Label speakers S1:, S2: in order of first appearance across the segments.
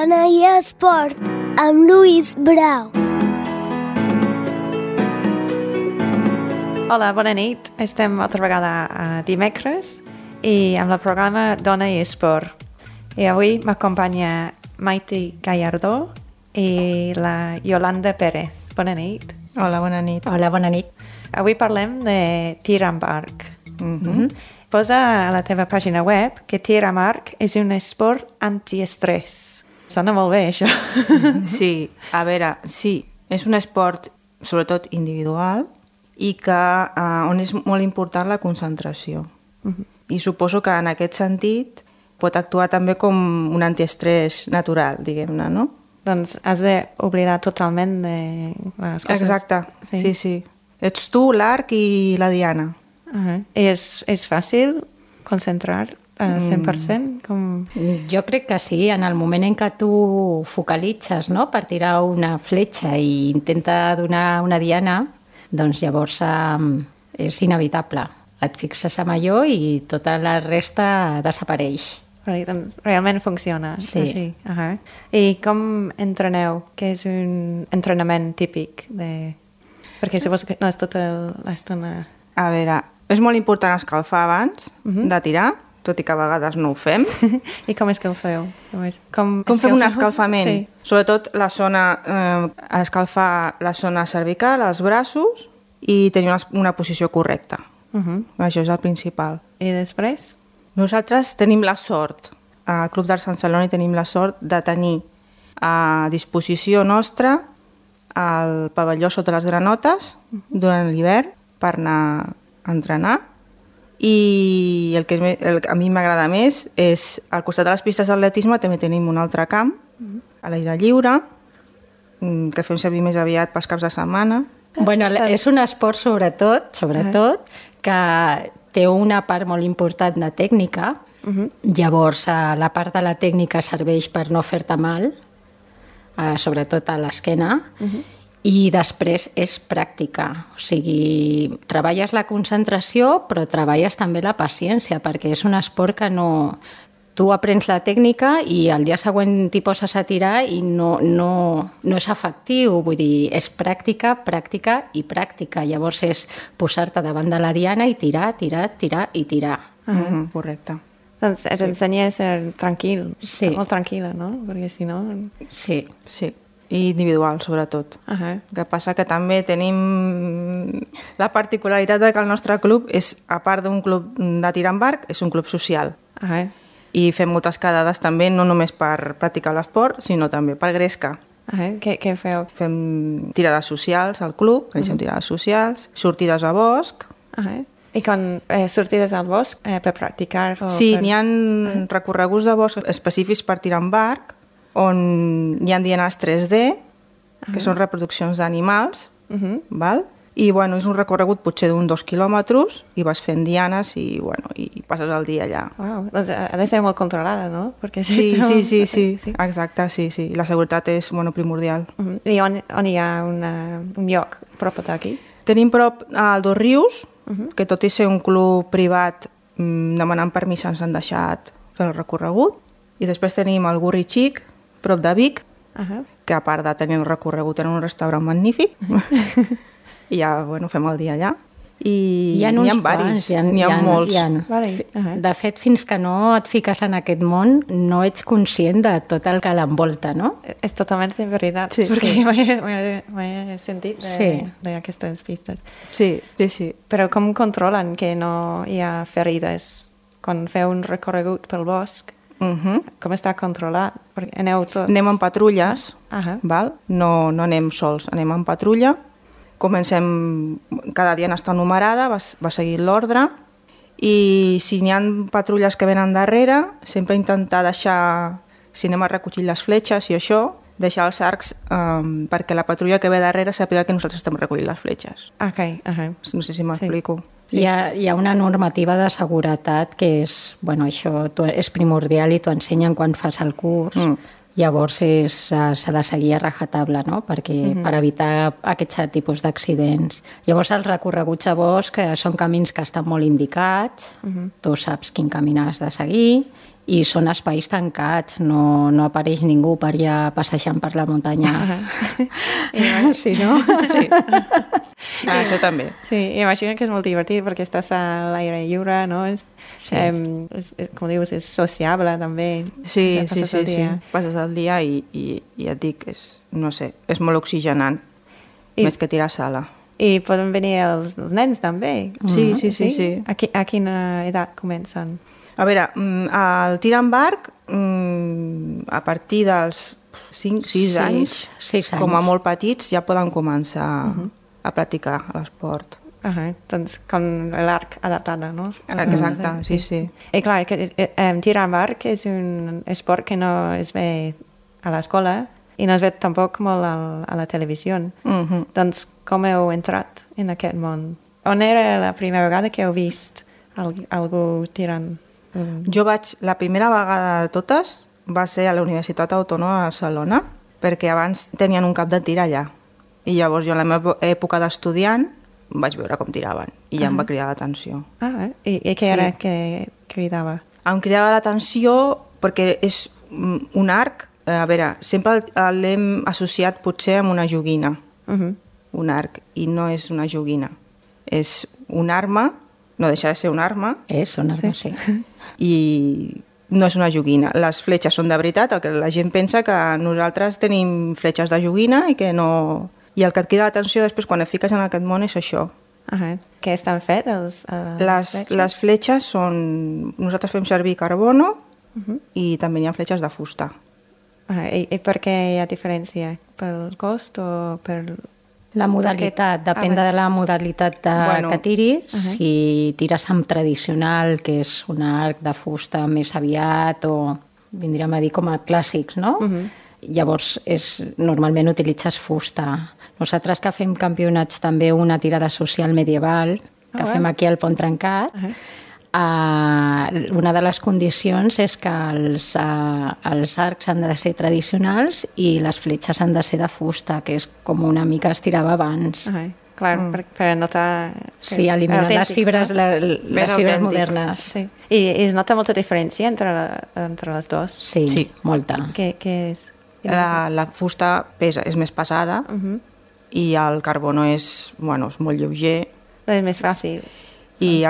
S1: Dona i Esport, amb Lluís Brau.
S2: Hola, bona nit. Estem altra vegada a dimecres i amb el programa Dona i Esport. I avui m'acompanya Maite Gallardó i la Yolanda Pérez. Bona nit.
S3: Hola, bona nit.
S4: Hola, bona nit.
S2: Avui parlem de tir amb arc. Posa a la teva pàgina web que tir amb arc és un esport antiestrès. Sona molt bé, això.
S3: Sí, a veure, sí, és un esport sobretot individual i que on és molt important la concentració. I suposo que en aquest sentit pot actuar també com un antiestrès natural, diguem-ne, no?
S2: Doncs has d'oblidar totalment de les coses.
S3: Exacte, sí. Ets tu, l'arc i la diana.
S2: És fàcil concentrar 100%?
S4: Jo crec que sí, en el moment en què tu focalitzes, no?, per tirar una fletxa i intenta donar una diana, doncs llavors és inevitable. Et fixes en allò i tota la resta desapareix.
S2: Doncs realment funciona.
S4: Sí.
S2: Així. I com entreneu? Què és un entrenament típic? Perquè suposo que no és tota l'estona...
S3: A veure, és molt important escalfar abans de tirar, tot i que a vegades no ho fem.
S2: I com és que ho feu?
S3: Com fem un escalfament? Sí. Sobretot escalfar la zona cervical, els braços i tenir una posició correcta. Això és el principal.
S2: I després?
S3: Nosaltres tenim la sort, al Club d'Arts Sant Celoni tenim la sort de tenir a disposició nostra el pavelló sota les granotes durant l'hivern per anar a entrenar. I el que a mi m'agrada més és, al costat de les pistes d'atletisme també tenim un altre camp, a l'aire lliure, que fem servir més aviat pels caps de setmana.
S4: Bueno, és un esport sobretot, que té una part molt important de tècnica, llavors la part de la tècnica serveix per no fer-te mal, sobretot a l'esquena, i després és pràctica, o sigui, treballes la concentració però treballes també la paciència, perquè és un esport que no... Tu aprens la tècnica i el dia següent t'hi poses a tirar i no és efectiu, vull dir, és pràctica i pràctica, llavors és posar-te davant de la diana i tirar i tirar.
S3: Correcte.
S2: Doncs t'ensenya a ser tranquil, molt tranquil·la, no? Perquè si no...
S4: Sí.
S3: I individual, sobretot. El que passa que també tenim la particularitat de que el nostre club és, a part d'un club de tir amb arc, és un club social. I fem moltes quedades també, no només per practicar l'esport, sinó també per gresca.
S2: Què feu?
S3: Fem tirades socials al club, coneixem tirades socials, sortides a bosc.
S2: I quan sortides al bosc per practicar?
S3: Sí, n'hi ha recorreguts de bosc específics per tirar amb arc, on hi ha dianes 3D, que són reproduccions d'animals, val? I bueno, és un recorregut potser d'un 2 quilòmetres i vas fent dianes i passes el dia allà.
S2: Doncs ha de ser molt controlada, no? Perquè
S3: sí, exacte, sí. La seguretat és primordial.
S2: I on hi ha un lloc prop d'aquí?
S3: Tenim prop al Dos Rius, que tot i ser un club privat, demanant permís ens han deixat fer el recorregut. I després tenim el Gurri Xic, prop de Vic, que a part de tenir el recorregut en un restaurant magnífic, i ja fem el dia allà. I
S4: hi ha
S3: varis, n'hi ha molts.
S4: De fet, fins que no et fiques en aquest món, no ets conscient de tot el que l'envolta, no?
S2: És totalment veritat, perquè m'he sentit d'aquestes pistes.
S3: Sí.
S2: Però com controlen que no hi ha ferides quan feu un recorregut pel bosc? Com està controlat? Aneu tots?
S3: Anem en patrulles, val? No anem sols, anem en patrulla. Comencem, cada dia està numerada, va seguint l'ordre, i si n'hi ha patrulles que venen darrere, sempre intentar deixar, si anem a recollir les fletxes i això, deixar els arcs perquè la patrulla que ve darrere sàpiga que nosaltres estem recollint les fletxes. No sé si m'explico.
S4: Sí. Hi ha una normativa de seguretat que és, això és primordial i t'ho ensenyen quan fas el curs. Llavors s'ha de seguir a rajatabla, no? Per evitar aquests tipus d'accidents. Llavors els recorreguts a bosc són camins que estan molt indicats, tu saps quin camí has de seguir i són espais tancats, no apareix ningú per allà passejant per la muntanya. Sí, no?
S3: Sí. Això també.
S2: Sí, imagino que és molt divertit perquè estàs a l'aire lliure, no? Com dius, és sociable també.
S3: Sí.
S2: Passes el dia.
S3: Passes el dia i ja et dic, no sé, és molt oxigenant, més que tirar sala.
S2: I poden venir els nens també.
S3: Sí.
S2: A quina edat comencen?
S3: A veure, el tir amb arc, a partir dels 5-6 anys,
S4: 6 anys,
S3: com a molt petits, ja poden començar a practicar l'esport.
S2: Doncs com l'arc adaptada, no?
S3: Exacte, sí.
S2: I clar, tirar amb arc és un esport que no es ve a l'escola i no es ve tampoc molt a la televisió. Doncs com heu entrat en aquest món? On era la primera vegada que heu vist algú tirant?
S3: La primera vegada de totes va ser a la Universitat Autònoma de Barcelona, perquè abans tenien un camp de tir allà. I llavors jo en la meva època d'estudiant vaig veure com tiraven i ja em va cridar l'atenció.
S2: I què era que cridava?
S3: Em cridava l'atenció perquè és un arc, a veure, sempre l'hem associat potser amb una joguina, un arc, i no és una joguina. És una arma, no deixa de ser una arma.
S4: És una arma, sí.
S3: I no és una joguina. Les fletxes són de veritat, el que la gent pensa que nosaltres tenim fletxes de joguina i que no... I el que et crida l'atenció després quan et fiques en aquest món és això.
S2: Què estan fets?
S3: Les fletxes són... Nosaltres fem servir carbono i també hi ha fletxes de fusta.
S2: I per què hi ha diferència? Pel cost o per...
S4: La modalitat, depèn de la modalitat que tiris. Si tires amb tradicional, que és un arc de fusta més aviat, o vindríem a dir com a clàssics, no? Llavors, normalment utilitzes fusta. Nosaltres que fem campionats també una tirada social medieval, que fem aquí al Pont Trencat, una de les condicions és que els arcs han de ser tradicionals i les fletxes han de ser de fusta, que és com una mica es tirava abans.
S2: Clar, per notar...
S4: Sí, eliminar les fibres modernes.
S2: Sí. I es nota molta diferència entre les dues?
S4: Sí, molta.
S2: Què és?
S3: La fusta és més pesada i el carbono és molt lleuger.
S2: És més fàcil.
S3: I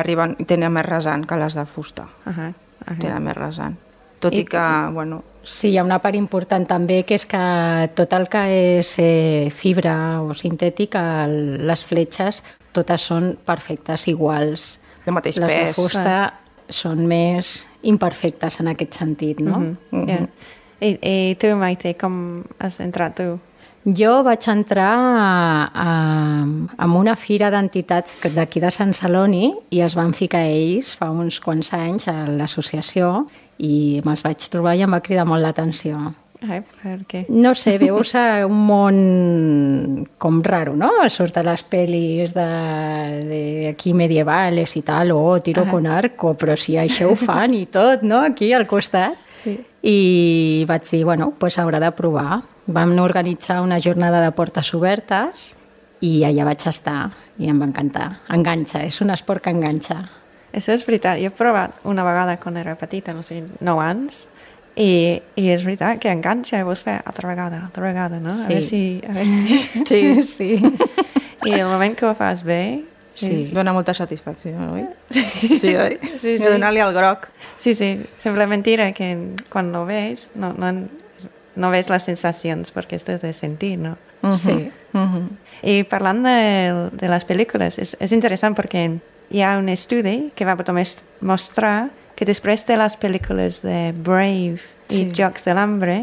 S3: tenen més rasant que les de fusta. Tenen més rasant. Tot i que,
S4: Sí, hi ha una part important també, que és que tot el que és fibra o sintètic, les fletxes, totes són perfectes, iguals.
S3: De mateix
S4: pes. Les de fusta són més imperfectes en aquest sentit, no?
S2: I tu, Maite, com has entrat tu?
S4: Jo vaig entrar en una fira d'entitats d'aquí de Sant Celoni i es van ficar ells fa uns quants anys a l'associació i me'ls vaig trobar i em va cridar molt l'atenció.
S2: Per què?
S4: No sé, veus un món com raro, no? Surt a les pel·lis d'aquí medievales i tal, tiro con arco, però si això ho fan i tot, no? Aquí al costat. Sí. I vaig dir, doncs haurà de provar. Vam organitzar una jornada de portes obertes i allà vaig estar i em va encantar. Enganxa, és un esport que enganxa.
S2: Això és veritat. Jo he provat una vegada quan era petita, no sé, 9 anys, i és veritat que enganxa i vols fer altra vegada, no?
S4: Sí.
S2: A veure si...
S4: Sí.
S2: I el moment que ho fas bé...
S3: Sí, dona molta satisfacció, oi? Sí, oi? Sí. Donar-li el groc.
S2: Sí, sembla mentira que quan ho ves no ves les sensacions perquè estàs de sentir, no?
S4: Sí.
S2: I parlant de les pel·lícules, és interessant perquè hi ha un estudi que va mostrar que després de les pel·lícules de Brave i Jocs de l'Hambre,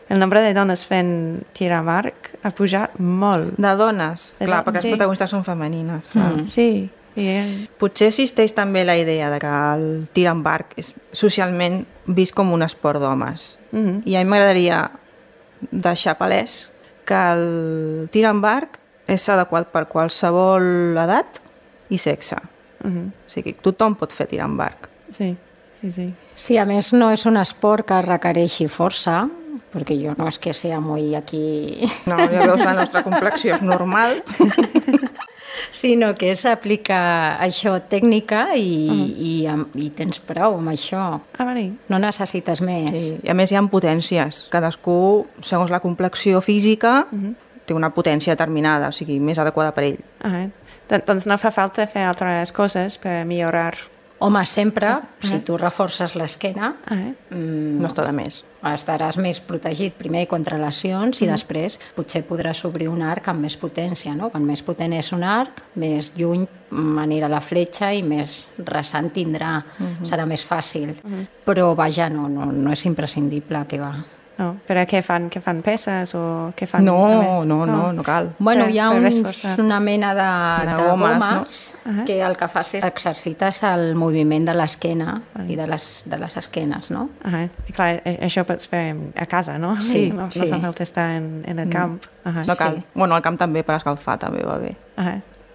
S2: el nombre de dones fent tir amb arc ha pujat molt.
S3: De dones? Clar, perquè les protagonistes són femenines.
S2: Sí.
S3: Potser existeix també la idea de que el tir amb arc és socialment vist com un esport d'homes. I a mi m'agradaria deixar palès que el tir amb arc és adequat per qualsevol edat i sexe. O sigui, tothom pot fer tir amb arc.
S2: Sí.
S4: Sí, a més no és un esport que requereixi força, perquè jo no és que sea muy aquí...
S3: No, ja veus, la nostra complexió és normal.
S4: sinó que és aplicar això tècnica i tens prou amb això.
S2: Vale.
S4: No necessites més.
S3: Sí. I a més hi ha potències. Cadascú, segons la complexió física, té una potència determinada, o sigui, més adequada per ell.
S2: Doncs no fa falta fer altres coses per millorar.
S4: Home, sempre, si tu reforces l'esquena,
S3: No està de més.
S4: estaràs més protegit primer contra lesions i després potser podràs obrir un arc amb més potència, no? Quan més potent és un arc, més lluny anirà la fletxa i més rasant tindrà, serà més fàcil. Però vaja, no és imprescindible que va.
S2: No, però què fan? Què fan peces o què fan?
S3: No cal.
S4: Bueno, hi ha
S2: Per reforçar.
S4: una mena de
S3: gomes,
S4: gomes que el que fas és exercites el moviment de l'esquena i de les esquenes, no?
S2: I clar, això pots fer a casa, no?
S3: Sí,
S2: no
S3: sí.
S2: fa falta estar en el camp.
S3: No cal. Bueno, al camp també per escalfar també va bé.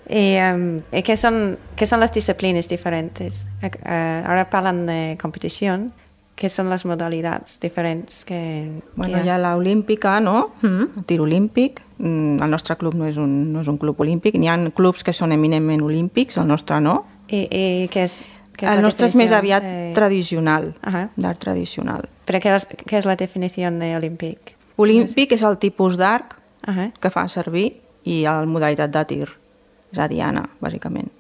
S2: ¿Y qué son las disciplinas diferentes? Ahora hablan de competición. ¿Qué son las modalidades diferents que
S3: Bueno, hi ha l'olímpica, no? El tir olímpic. El nostre club no és un club olímpic. N'hi ha clubs que són eminentment olímpics, el nostre no.
S2: ¿Y qué es
S3: El nostre és més aviat tradicional,
S2: Ajá.
S3: d'art tradicional.
S2: ¿Pero qué es la definición de olímpic?
S3: Olímpic és el tipus d'arc
S2: Ajá.
S3: que fa servir i la modalitat de tir. És a diana, bàsicament.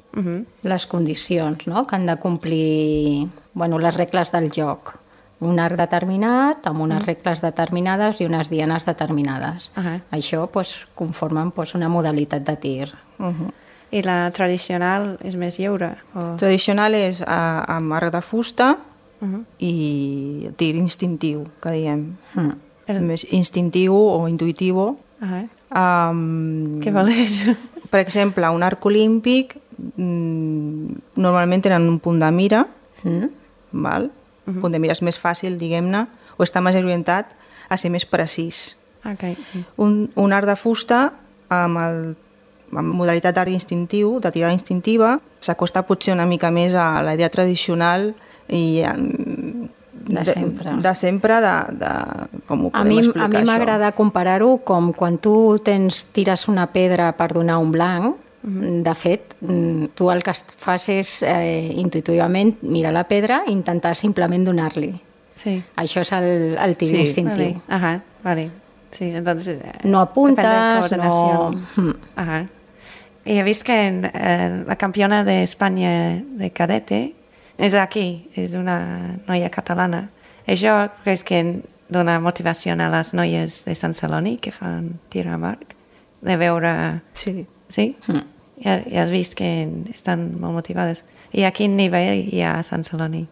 S4: Les condicions, no?, que han de complir, les regles del joc. Un arc determinat, amb unes regles determinades i unes dianes determinades. Això conformen una modalitat de tir.
S2: I la tradicional és més lliure?
S3: Tradicional és amb arc de fusta i el tir instintiu, que diem. Més instintiu o intuitivo.
S2: Què vol dir això?
S3: Per exemple, un arc olímpic normalment tenen un punt de mira, val? El punt de mira és més fàcil, diguem-ne, o està més orientat a ser més precís.
S2: Sí.
S3: Un arc de fusta amb modalitat d'art instintiu, de tirada instintiva, s'acosta potser una mica més a la idea tradicional i de sempre, com ho podem explicar,
S4: A mi m'agrada comparar-ho com quan tu tires una pedra per donar un blanc. De fet, tu el que fas és intuïtivament mirar la pedra i intentar simplement donar-li.
S2: Sí.
S4: Això és el tir instintiu.
S2: Vale. Sí, entonces,
S4: no apuntes, no...
S2: Y he visto que la campeona de España de cadete és d'aquí, és una noia catalana. Això creus que dona motivació a les noies de Sant Celoni que fan tir amb arc? De veure...
S3: Sí.
S2: Sí? Ja has vist que estan molt motivades. I a quin nivell hi ha a Sant Celoni?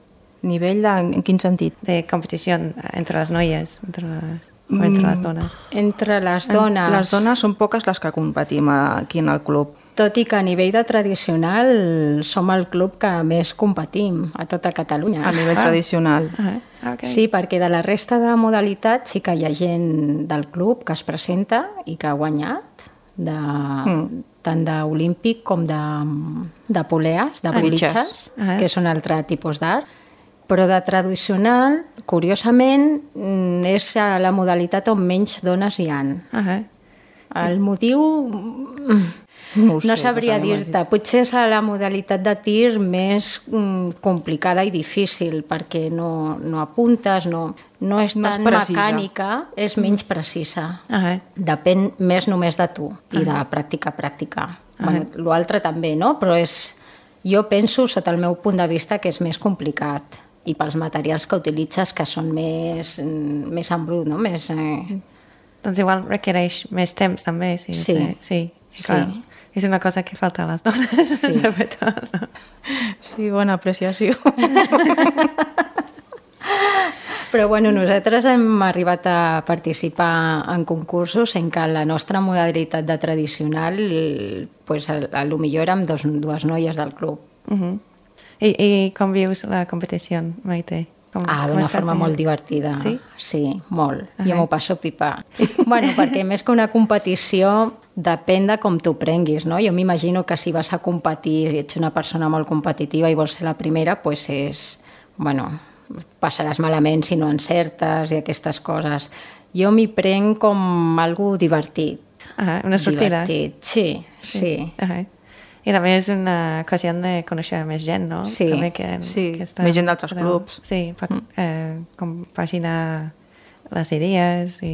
S3: Nivell en quin sentit?
S2: De competició entre les noies, entre les dones.
S4: Entre les dones...
S3: Les dones són poques les que competim aquí en el club.
S4: Tot i que a nivell de tradicional som el club que més competim a tota Catalunya.
S3: A nivell tradicional.
S2: Okay.
S4: Sí, perquè de la resta de modalitats sí que hi ha gent del club que es presenta i que ha guanyat, tant d'olímpic com de poleas, de bolitxes, que són altre tipus d'art. Però de tradicional, curiosament, és la modalitat on menys dones hi han. El motiu... No sabria dir-te. Potser és la modalitat de tir més complicada i difícil, perquè no apuntes, no és tan mecànica, és menys precisa. Depèn més només de tu i de pràctica. L'altre també, no? Però jo penso, sota el meu punt de vista, que és més complicat. I pels materials que utilitzes, que són més en brut, no?
S2: Doncs igual requereix més temps, també. Sí. És una cosa que falta a les dones, sobretot.
S3: Sí, bona apreciació.
S2: Però
S4: nosaltres hem arribat a participar en concursos en què la nostra modalitat de tradicional, a lo millor érem dues noies del club.
S2: I com vius la competició, Maite?
S4: D'una forma molt divertida.
S2: Sí?
S4: Sí, molt. Jo m'ho passo pipa. Perquè més que una competició depèn de com t'ho prenguis, no? Jo m'imagino que si vas a competir i ets una persona molt competitiva i vols ser la primera, passaràs malament si no encertes i aquestes coses. Jo m'hi prenc com algo divertit.
S2: Una sortida.
S4: Divertit, sí.
S2: I també és una ocasió de conèixer més gent, no?
S4: Sí.
S2: També que està,
S3: més gent d'altres clubs.
S2: Sí, per compaginar les idees i...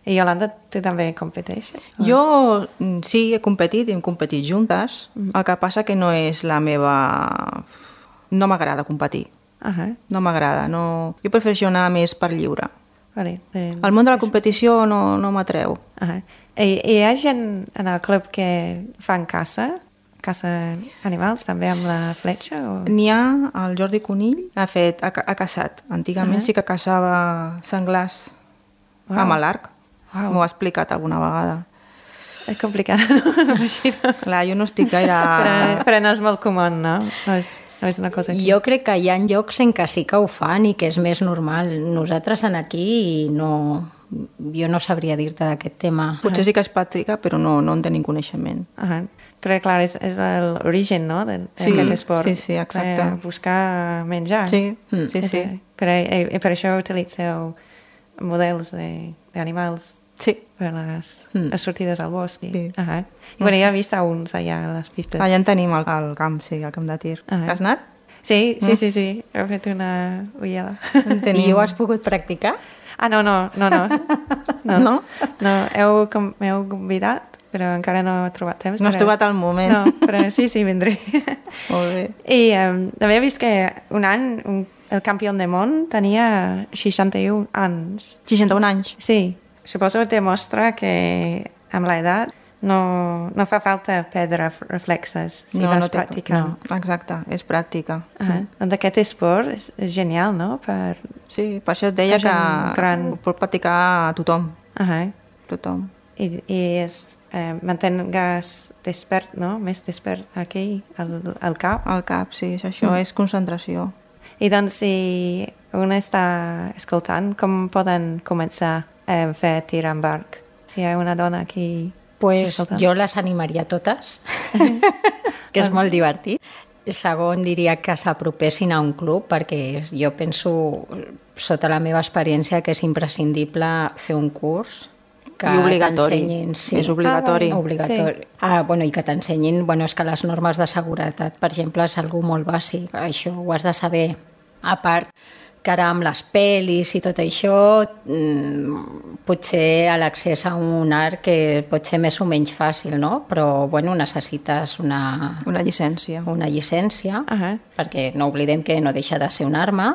S2: I Yolanda, tu també competeixes?
S3: Jo sí, he competit, hem competit juntes, el que passa que no és la meva... No m'agrada competir, no m'agrada, no... Jo prefereixo anar més per lliure.
S2: Vale.
S3: El món de la competició no m'atreu.
S2: I hi ha gent en el club que fan caça animals, també amb la fletxa? O...
S3: N'hi ha, el Jordi Conill ha caçat. Antigament sí que caçava senglars amb l'arc. M'ho ha explicat alguna vegada.
S2: És complicat, no?
S3: Clar, jo no estic gaire...
S2: Però no és molt comú, no? No és una cosa aquí.
S4: Jo crec que hi ha llocs en què sí que ho fan i que és més normal. Nosaltres aquí jo no sabria dir-te d'aquest tema.
S3: Potser sí que es practica, però no en tenim coneixement.
S2: Però clar, és l'origen, no?, d'aquest esport.
S3: Sí, exacte.
S2: Buscar menjar.
S3: Sí.
S2: Per això utilitzeu models d'animals per les sortides al bosc. I ja he vist uns allà a les pistes.
S3: Allà en tenim al camp, sí, al camp de tir. Has anat?
S2: Sí. He fet una ullada.
S4: I ho has pogut practicar?
S2: No. No? M'heu convidat, però encara no he trobat temps.
S3: No has trobat el moment.
S2: No, però sí, vindré.
S3: Molt bé.
S2: I també he vist que un any el campió del món tenia 61 anys.
S3: 61 anys?
S2: Sí. Suposo que demostra que amb l'edat no fa falta perdre reflexes si vas practicant.
S3: No, exacte, és pràctica.
S2: Doncs aquest esport és genial, no?
S3: Sí, per això et deia que ho pot practicar tothom. Tothom.
S2: I mantengues despert, no? Més despert aquí, al cap.
S3: Al cap, sí, això és concentració.
S2: I doncs, si un està escoltant, com poden començar a fer tir amb arc? Si hi ha una dona aquí...
S4: Pues jo les animaria totes, que és molt divertit. Segon, diria que s'apropessin a un club, perquè jo penso, sota la meva experiència, que és imprescindible fer un curs que t'ensenyin... Sí.
S3: És obligatori.
S4: Obligatori. I que t'ensenyin... és que les normes de seguretat, per exemple, és algo molt bàsic. Això ho has de saber. A part, que ara amb les pel·lis i tot això, potser l'accés a un arc pot ser més o menys fàcil, no? Però, necessites una
S3: llicència.
S4: Una llicència, perquè no oblidem que no deixa de ser una arma.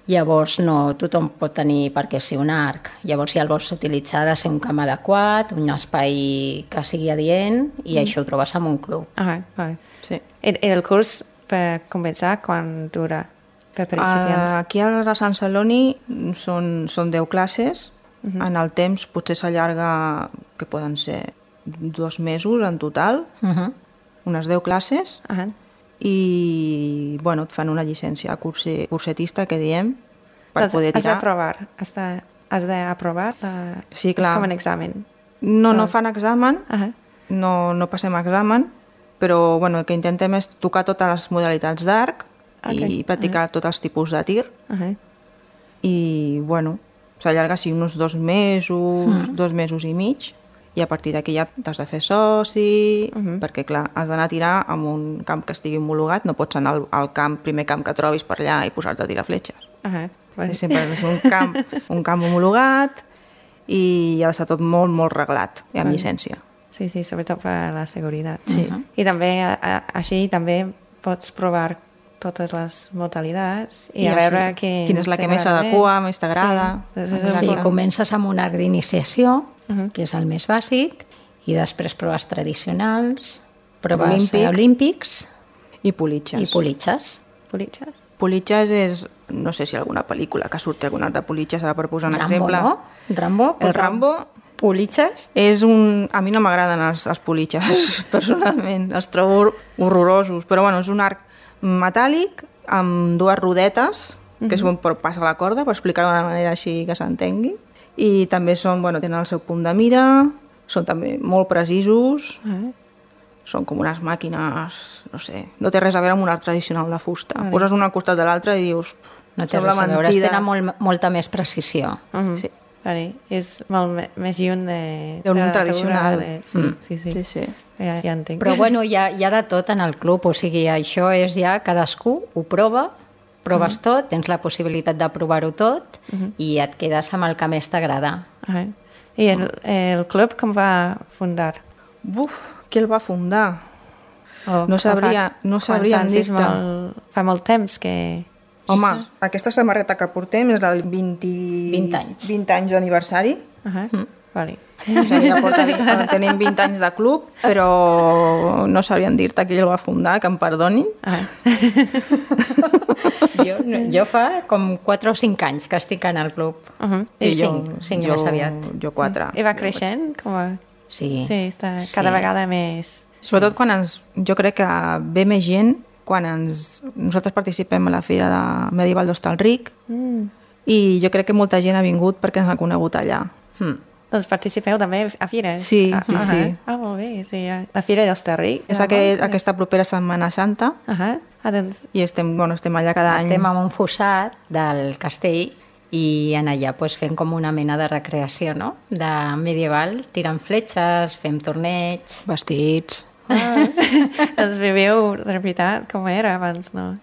S4: Llavors, no tothom pot tenir per què ser un arc. Llavors, si el vols utilitzar, ha de ser un camp adequat, un espai que sigui adient, i això ho trobes en un club.
S3: Sí.
S2: I el curs, per començar, quan dura?
S3: Aquí a Sant Celoni són 10 classes. En el temps potser s'allarga, que poden ser 2 mesos en total, unes 10 classes, i et fan una llicència cursetista, que diem, per poder tirar.
S2: Has d'aprovar?
S3: Sí, clar.
S2: És com un examen.
S3: No fan examen, no passem examen, però el que intentem és tocar totes les modalitats d'arc, i practicar tots els tipus de tir. I, s'allarga així uns 2 mesos, 2 mesos i mig, i a partir d'aquí ja t'has de fer soci, perquè, clar, has d'anar a tirar en un camp que estigui homologat, no pots anar al primer camp que trobis per allà i posar-te a tirar fletxes. Sempre ha de ser un camp homologat i ha d'estar tot molt, molt reglat, i amb llicència.
S2: Sí, sobretot per la seguretat.
S3: I
S2: també, així, també pots provar totes les modalitats i a veure
S3: quina és la que més s'adequa, més t'agrada.
S4: Sí, comences amb un arc d'iniciació, que és el més bàsic, i després proves tradicionals, proves olímpics
S3: i politxes. Politxes és, no sé si alguna pel·lícula que surti alguna de politxes, ara per posar un exemple.
S4: Rambo?
S3: El Rambo.
S4: Politxes?
S3: A mi no m'agraden els politxes, personalment. Els trobo horrorosos, però és un arc metàl·lic amb 2 rodetes, que és per passar la corda, per explicar-ho de manera així que s'entengui. I també tenen el seu punt de mira, són també molt precisos, són com unes màquines, no sé, no té res a veure amb un arc tradicional de fusta. Poses un al costat de l'altre i dius...
S4: No té res a veure, tenen molta més precisió.
S3: Sí.
S2: Vale. És molt més lluny
S3: d'un
S2: la
S3: tradicional.
S2: Sí.
S3: Sí.
S2: Ja entenc.
S4: Però bueno, hi ha de tot en el club, o sigui, això és ja cadascú ho proves tot, tens la possibilitat de provar-ho tot i et quedes amb el que més t'agrada.
S2: I el club com va fundar?
S3: Qui el va fundar? No sabríem dir-te.
S2: Fa molt temps que...
S3: Home, aquesta samarreta que portem és del 20 anys d'aniversari.
S2: Vale.
S3: O sigui, ja tenim 20 anys de club, però no sabríem dir-te qui el va fundar, que em perdonin.
S4: Jo fa com 4 o 5 anys que estic en el club.
S3: I
S4: cinc més aviat.
S3: Jo 4.
S2: I va creixent?
S4: Sí.
S2: Sí, està cada vegada més...
S3: Sobretot quan jo crec que ve més gent quan nosaltres participem a la Fira de Medieval d'Hostalric i jo crec que molta gent ha vingut perquè ens ha conegut allà.
S2: Doncs participeu també a fires?
S3: Sí.
S2: Molt bé, sí. La Fira d'Hostalric.
S3: És aquesta propera Setmana Santa i estem allà cada any.
S4: Estem en un fossat del castell i en allà fem com una mena de recreació, no? De medieval, tirant fletxes, fem torneig...
S3: Vestits...
S2: Ens viviu de veritat com era abans, no?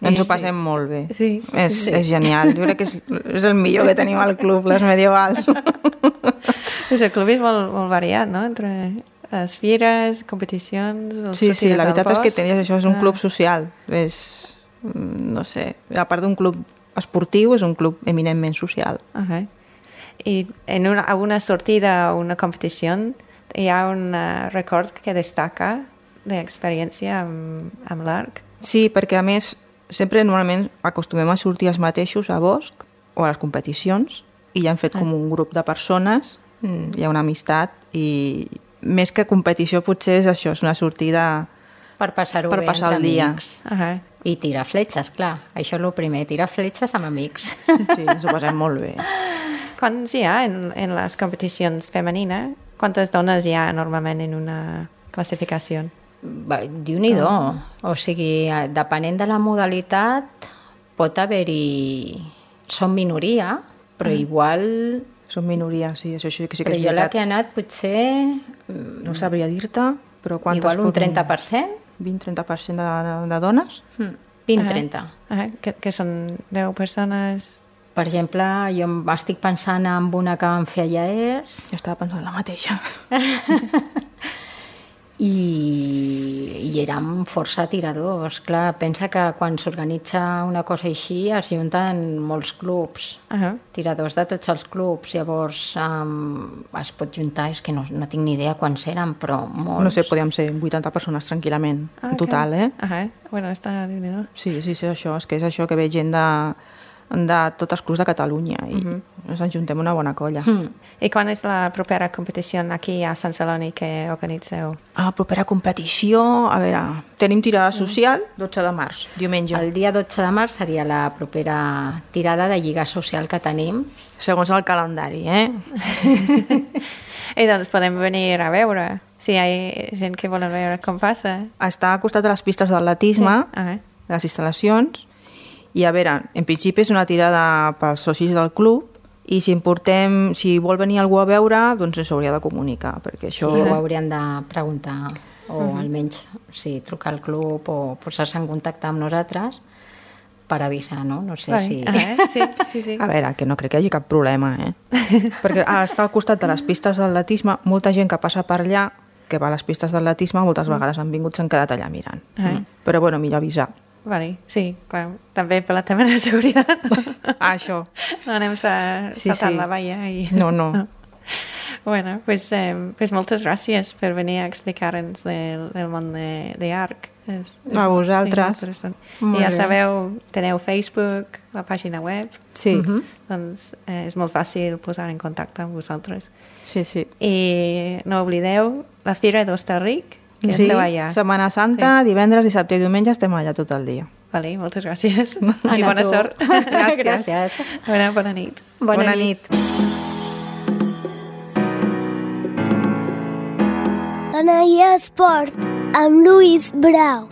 S3: Ens ho passem molt bé.
S2: Sí.
S3: És genial. Jo crec que és el millor que tenim al club, les medievals.
S2: El club és molt variat, no? Entre les fires, competicions...
S3: Sí, la veritat és que això és un club social. No sé, a part d'un club esportiu, és un club eminentment social.
S2: I en alguna sortida o una competició hi ha un record que destaca d'experiència amb l'arc?
S3: Sí, perquè a més sempre normalment acostumem a sortir els mateixos a bosc o a les competicions i ja han fet com un grup de persones, hi ha una amistat i més que competició potser és això, és una sortida
S4: per passar-ho bé
S3: passar el dia.
S4: I tirar fletxes, clar, això és el primer, tirar fletxes amb amics.
S3: Sí, ens ho passem molt bé.
S2: Quants hi ha en les competicions femenines? Quantes dones hi ha normalment en una classificació?
S4: Déu-n'hi-do. O sigui, depenent de la modalitat, pot haver-hi... Són minoria, però igual...
S3: Són minoria, sí, això sí que és veritat.
S4: Però jo la que he anat potser...
S3: No sabria dir-te, però quantes...
S4: Igual un 30%?
S3: 20-30% de dones?
S4: 20-30.
S2: Que són 10 persones...
S4: Per exemple, jo estic pensant en una que vam fer a Llers.
S3: Jo estava pensant la mateixa.
S4: I érem força tiradors. Clar, pensa que quan s'organitza una cosa així es junten molts clubs, tiradors de tots els clubs. Llavors es pot juntar, és que no tinc ni idea quants eren, però molts.
S3: No sé, podíem ser 80 persones tranquil·lament, en total,
S2: Bueno, està déu-n'hi-do.
S3: Sí, és això, és que és això que ve gent de tots els clubs de Catalunya i ens en juntem una bona colla.
S2: I quan és la propera competició aquí a Sant Celoni que organitzeu?
S3: Propera competició, a veure, tenim tirada social 12 de març, diumenge.
S4: El dia 12 de març seria la propera tirada de lliga social que tenim.
S3: Segons el calendari,
S2: I doncs podem venir a veure si hi ha gent que vol veure com passa.
S3: Està al costat de les pistes d'atletisme, les instal·lacions. I a veure, en principi és una tirada pels socis del club i si vol venir algú a veure, doncs ens hauria de comunicar, perquè això...
S4: Sí, ho haurien de preguntar, o almenys trucar al club o posar-se en contacte amb nosaltres per avisar, no? No sé si...
S2: Sí.
S3: A veure, que no crec que hi hagi cap problema, perquè està al costat de les pistes d'atletisme, molta gent que passa per allà, que va a les pistes d'atletisme, moltes vegades han vingut, s'han quedat allà mirant. Però bueno, millor avisar.
S2: Vale, sí, clar. També per la tema de seguretat.
S3: Això.
S2: No anem saltant la valla i...
S3: No.
S2: Bueno, pues moltes gràcies per venir a explicar-nos del món de ARC.
S3: A vosaltres.
S2: Sí, i ja sabeu, teniu Facebook, la pàgina web.
S3: Sí.
S2: Doncs és molt fàcil posar en contacte amb vosaltres.
S3: Sí.
S2: I no oblideu la Fira d'Hostalric, que esteu allà.
S3: Setmana Santa, divendres, dissabte i diumenge estem allà tot el dia.
S2: Vale, moltes gràcies. I bona sort.
S4: Gràcies.
S2: Bona nit.
S3: Bona nit.
S1: Anaia Esport amb Lluís Brau.